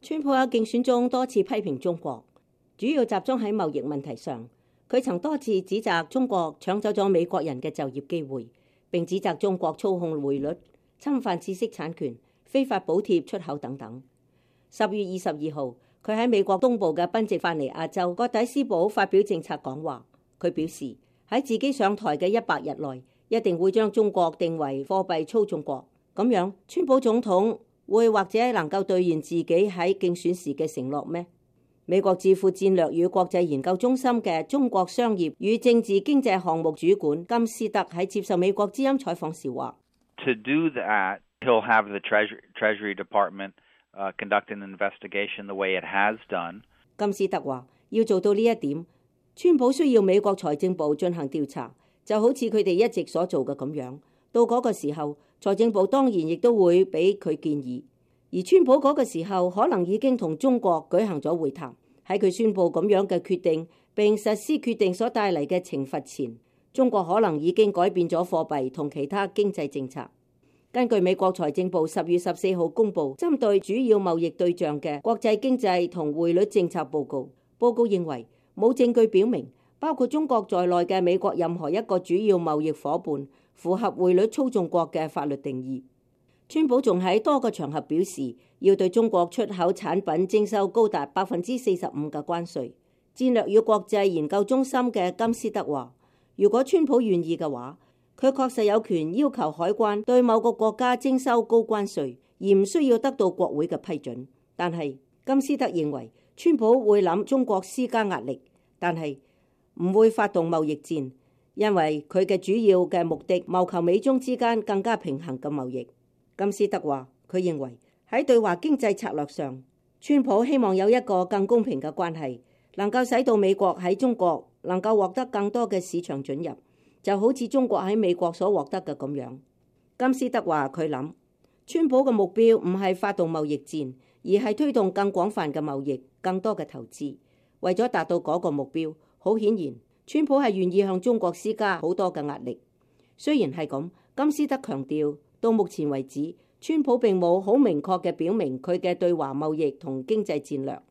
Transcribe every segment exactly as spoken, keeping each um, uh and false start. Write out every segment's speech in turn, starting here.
川普喺競選中多次批評中國，主要集中喺貿易問題上。佢曾多次指責中國搶走咗美國人嘅就業機會，並指責中國操控匯率、侵犯知識產權、非法補貼出口等等。十月二十二號，佢喺美國東部嘅賓夕法尼亞州葛底斯堡發表政策講話。佢表示喺自己上台嘅一百日內，一定會將中國定為貨幣操縱國。咁樣，川普總統會或者能夠兌現自己喺競選時嘅承諾咩？美國智庫戰略與國際研究中心嘅中國商業與政治經濟項目主管金斯德喺接受美國之音採訪時話 ：To do that, he'll have the Treasury, Treasury Department, uh, conduct an investigation the way it has done. 金斯德話：要做到呢一點，川普需要美國財政部進行調查，就好似佢哋一直所做嘅咁樣。到嗰個時候，財政部當然亦都會俾佢建議。而川普嗰個時候可能已經同中國舉行咗會談，喺佢宣布咁樣嘅決定並實施決定所帶嚟嘅懲罰前，中國可能已經改變咗貨幣同其他經濟政策。根據美國財政部十月十四號公布針對主要貿易對象嘅國際經濟同匯率政策報告，報告認為冇證據表明包括中國在內嘅美國任何一個主要貿易夥伴符合匯率操縱國嘅法律定義。川普仲喺多個場合表示，要對中國出口產品徵收高達百分之四十五嘅關稅。戰略與國際研究中心嘅金斯德話，如果川普願意嘅話，佢確實有權要求海關對某個國家徵收高關稅，而唔需要得到國會嘅批准。但係金斯德認為，川普會諗中國施加壓力，但係唔會發動貿易戰，因為佢嘅主要嘅目的謀求美中之間更加平衡嘅貿易。金斯德話，佢認為喺對華經濟策略上，川普希望有一個更公平嘅關係，能夠使到美國喺中國能夠獲得更多嘅市場准入，就好似中國喺美國所獲得嘅咁樣。金斯德話，佢諗川普嘅目標唔係發動貿易戰，而係推動更廣泛嘅貿易、更多嘅投資。為咗達到嗰個目標，好顯然川普係願意向中國施加好多嘅壓力。雖然係咁，金斯德強調，到目前為止，川普並冇好明確嘅表明佢嘅對華貿易同經濟戰略。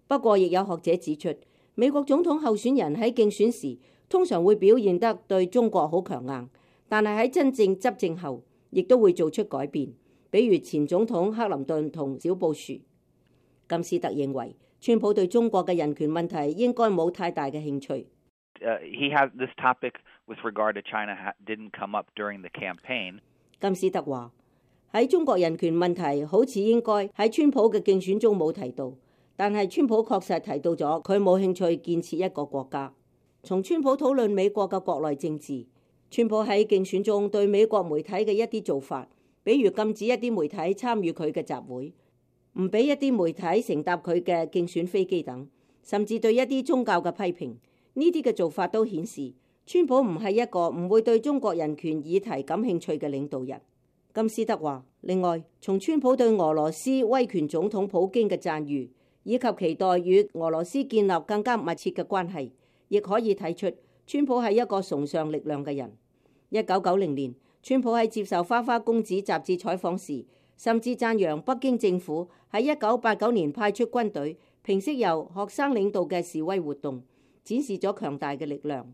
不過，亦有學者指出，美國總統候選人喺競選時通常會表現得對中國好強硬，但係喺真正執政後，亦都會做出改變。比如前總統克林頓同小布殊。金斯特認為，川普對中國嘅人權問題應該冇太大嘅興趣。Uh, he has this topic with regard to China didn't come up during the campaign. 金斯特話，喺中國人權問題好似應該喺川普嘅競選中冇提到，但係川普確實提到咗佢冇興趣建設一個國家。從川普討論美國嘅國內政治，川普喺競選中對美國媒體嘅一啲做法，比如禁止一啲媒體參與佢嘅集會，唔俾一啲媒體乘搭佢嘅競選飛機等，甚至對一啲宗教嘅批評，呢啲嘅做法都顯示川普唔係一個唔會對中國人權議題感興趣嘅領導人。金斯德話，另外，從川普對俄羅斯威權總統普京嘅讚譽，以及期待與俄羅斯建立更加密切嘅關係，亦可以睇出川普係一個崇尚力量嘅人。一九九零年，川普喺接受《花花公子》雜誌採訪時，甚至讚揚北京政府喺一九八九年派出軍隊平息由學生領導嘅示威活動，展示咗強大嘅力量。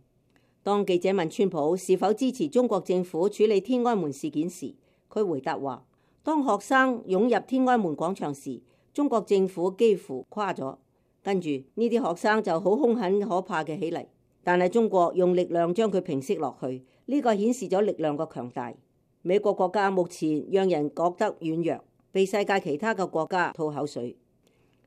當記者問川普是否支持中國政府處理天安門事件時，佢回答話：當學生湧入天安門廣場時，中國政府幾乎垮咗，跟住呢啲學生就好兇狠可怕嘅起嚟，但係中國用力量將佢平息落去，呢個顯示咗力量嘅強大。美國國家目前讓人覺得軟弱，被世界其他嘅國家吐口水。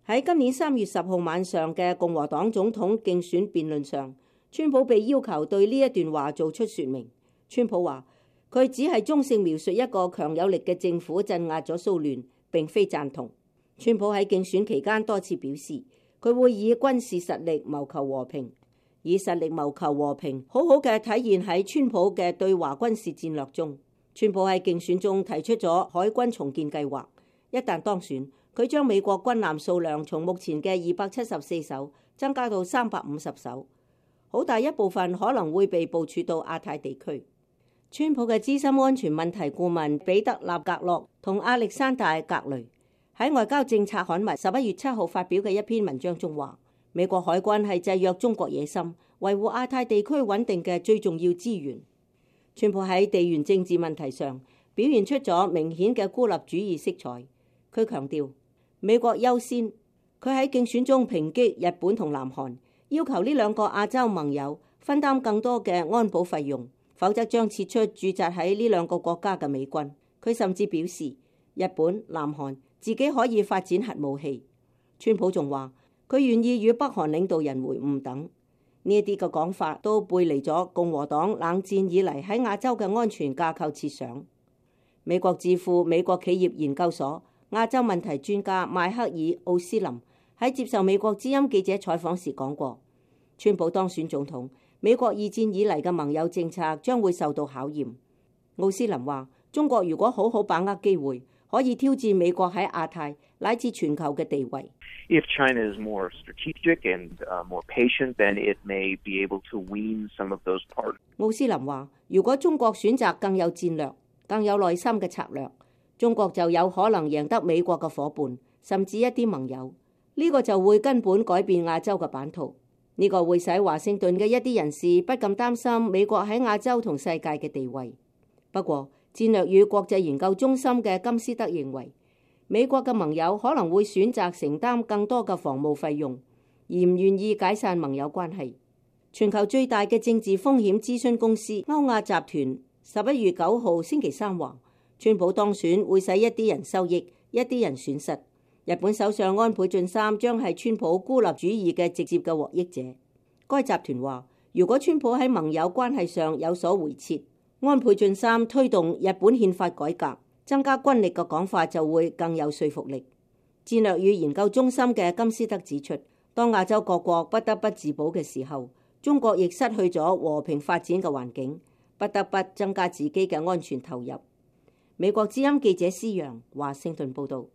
喺今年三月十號晚上嘅共和黨總統競選辯論上，川普被要求對呢一段話做出說明。川普話佢只係中性描述一個強有力嘅政府鎮壓咗騷亂，並非贊同。川普喺競選期間多次表示，佢會以軍事實力謀求和平，以實力謀求和平，好好嘅體現喺川普嘅對華軍事戰略中。川普喺競選中提出咗海軍重建計劃，一旦當選，佢將美國軍艦數量從目前嘅二百七十四艘增加到三百五十艘，好大一部分可能會被部署到亞太地區。川普嘅資深安全問題顧問彼得納格洛同亞歷山大格雷喺外交政策刊物十一月七號發表嘅一篇文章中話，美國海軍係制約中國野心、維護亞太地區穩定嘅最重要資源。川普喺地緣政治問題上表現出咗明顯嘅孤立主義色彩。佢強調美國優先，佢喺競選中抨擊日本同南韓，要求呢兩個亞洲盟友分擔更多嘅安保費用，否則將撤出駐紮喺呢兩個國家嘅美軍。佢甚至表示日本、南韓自己可以發展核武器。川普仲話佢願意與北韓領導人會晤等，呢一啲嘅講法都背離咗共和黨冷戰以嚟喺亞洲嘅安全架構設想。美國智庫美國企業研究所亞洲問題專家邁克爾奧斯林喺接受美國之音記者採訪時講過，川普當選總統，美國二戰以嚟嘅盟友政策將會受到考驗。奧斯林話，中國如果好好把握機會，可以挑戰美國喺亞太乃至全球嘅地位。If China is more strategic and more patient, then it may be able to wean some of those parts. 奧斯林話，如果中國選擇更有戰略、更有耐心嘅策略，中國就有可能贏得美國嘅夥伴，甚至一啲盟友。呢個就會根本改變亞洲嘅版圖。呢個會使華盛頓嘅一啲人士不禁擔心美國喺亞洲同世界嘅地位。不過，戰略與國際研究中心嘅金斯德認為，美國嘅盟友可能會選擇承擔更多嘅防務費用，而唔願意解散盟友關係。全球最大嘅政治風險諮詢公司歐亞集團十一月九號星期三話，川普當選會使一啲人收益，一啲人損失。日本首相安倍晉三將係川普孤立主義嘅直接嘅獲益者。該集團話，如果川普喺盟友關係上有所回撤，安倍晉三推動日本憲法改革、增加軍力嘅講法就會更有說服力。戰略與研究中心嘅金斯德指出，當亞洲各國不得不自保嘅時候，中國亦失去咗和平發展嘅環境，不得不增加自己嘅安全投入。美國之音記者施洋華盛頓報道。